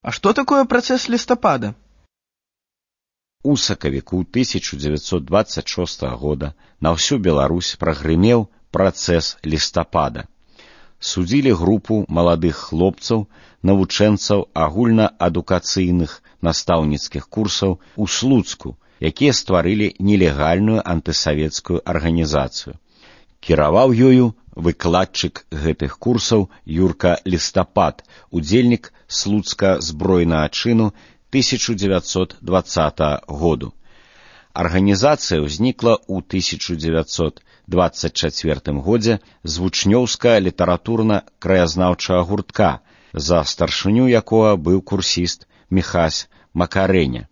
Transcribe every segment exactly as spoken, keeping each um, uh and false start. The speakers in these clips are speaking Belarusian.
А что такое процесс листопада? У сакавіку тысяча дзевяцьсот двадцать шостага года на ўсю Беларусь прагрымеў працэс лістапада. Судзілі групу маладых хлопцаў, навучэнцаў агульнаадукацыйных настаўніцкіх курсаў у Слуцку, якія стварылі нелегальную антысавецкую арганізацыю. Кіраваў ёю выкладчык гэтых курсаў Юрка Лістапад, удзельнік Слуцка збройнага чыну тысяча дзевяцьсот двадцатага году. Арганізацыя ўзнікла ў тысяча дзевяцьсот двадцать чацвёртым годзе з вучнёўска-літаратурна-краязнаўчага гуртка, за старшыню якога быў курсіст Міхась Макарэня.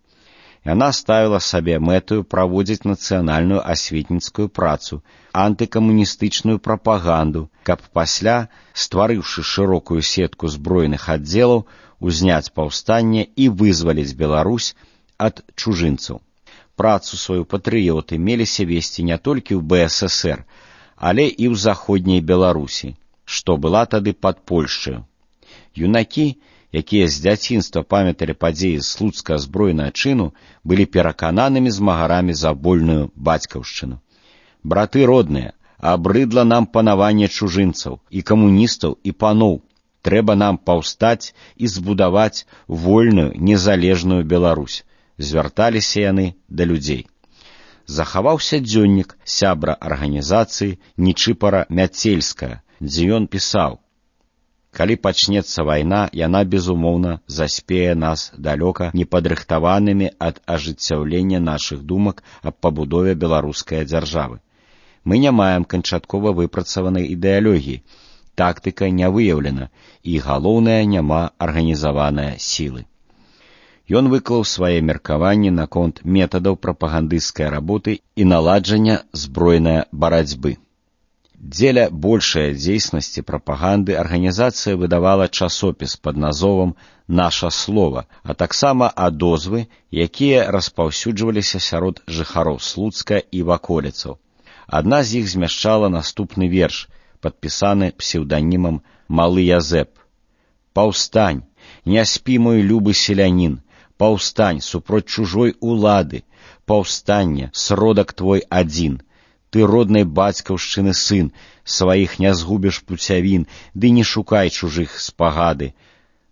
Яна ставіла сабе мэтаю праводзіць нацыянальную асветніцкую працу, антыкамуністычную прапаганду, каб пасля, стварыўшы шырокую сетку збройных аддзелаў, узняць паўстанне і вызваліць Беларусь ад чужынцаў. Працу сваю патрыёты меліся весці не толькі ў бэ эс эсэр, але і ў заходняй Беларусі, што была тады пад Польшчаю. Юнакі, якія з дзяцінства памяталі падзеі слуцкага збройнага чыну, былі перакананымі змагарамі за вольную бацькаўшчыну. Браты родныя, абрыдла нам панаванне чужынцаў, і камуністаў, і паноў. Трэба нам паўстаць і збудаваць вольную, незалежную Беларусь. Звярталіся яны да людзей. Захаваўся дзённік сябра арганізацыі Нічыпара Мяцельская, дзе ён пісаў: «Калі пачнецца вайна, яна, безумоўна, заспее нас далёка непадрыхтаванымі ад ажыццяўлення нашых думак аб пабудове беларускай дзяржавы. Мы не маем канчаткова выпрацаванай ідэалогіі, тактыка не выяўлена, і, галоўнае, няма арганізаванай сілы». Ён выклаў свае меркаванні наконт метадаў прапагандысцкай работы і наладжання збройнай барацьбы. Дзеля большай дзейснасці прапаганды арганізацыя выдавала часопіс пад назовам «Наша слова», а таксама адозвы, якія распаўсюджваліся сярод жыхароў Слуцка і ваколіцаў. Адна з іх змяшчала наступны верш, падпісаны псеўданімам «Малы Язэп». «Паўстань, не спі, мой любы селянін, паўстань супроць чужой улады, паўстанне, сродак твой адзін. Ты роднай бацькаўшчыны сын, сваіх не згубіш пуцявін, ды не шукай чужых спагады.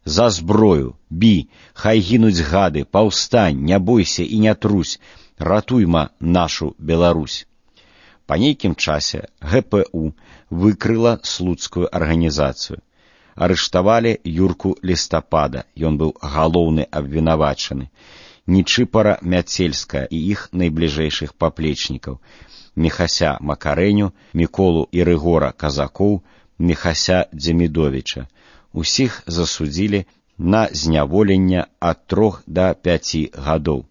За зброю, бі, хай гінуць гады, паўстань, не бойся і не трусь, ратуйма нашу Беларусь». Па нейкім часе гэ пэ у выкрыла слуцкую арганізацыю. Арыштавалі Юрку Лістапада, ён быў галоўны абвінавачаны, Нічыпара Мяцельская і іх найбліжэйшых паплечнікаў, Міхася Макарэню, Міколу і Рыгора Казакоў, Міхася Дземідовіча. Усіх засудзілі на зняволенне ад трох да пяці гадоў.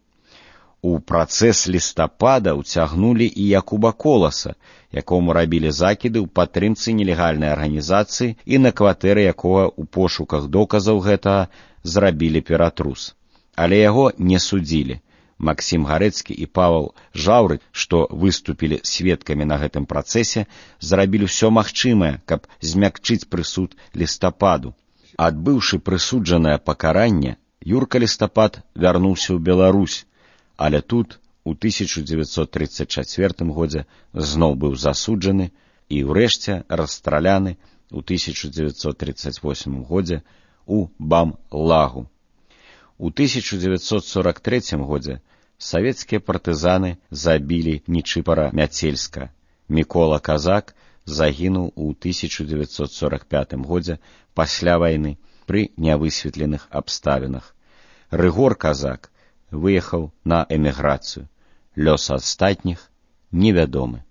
У працэс лістапада ўцягнулі і Якуба Коласа, якому рабілі закіды ў падтрымцы нелегальнай арганізацыі і на кватэры якога ў пошуках доказаў гэтага зрабілі ператрус. Але яго не судзілі. Максім Гарэцкі і Павел Жаўры, што выступілі сведкамі на гэтым працэсе, зрабілі ўсё магчымае, каб змякчыць прысуд лістападу. Адбыўшы прысуджанае пакаранне, Юрка Лістапад вярнуўся ў Беларусь, але тут, у тысяча дзевяцьсот трыццаць чацвёртым годзе, зноў быў засуджаны і ўрэшце расстраляны у тысяча дзевяцьсот трыццаць восьмым годзе у Бам-Лагу. У тысяча дзевяцьсот сорок трэцім годзе савецкія партызаны забілі Нічыпара Мяцельска. Мікола Казак загінуў у тысяча дзевяцьсот сорок пятым годзе пасля вайны пры нявысветленых абставінах. Рыгор Казак выехаў на эміграцыю. Лёс астатніх невядомы.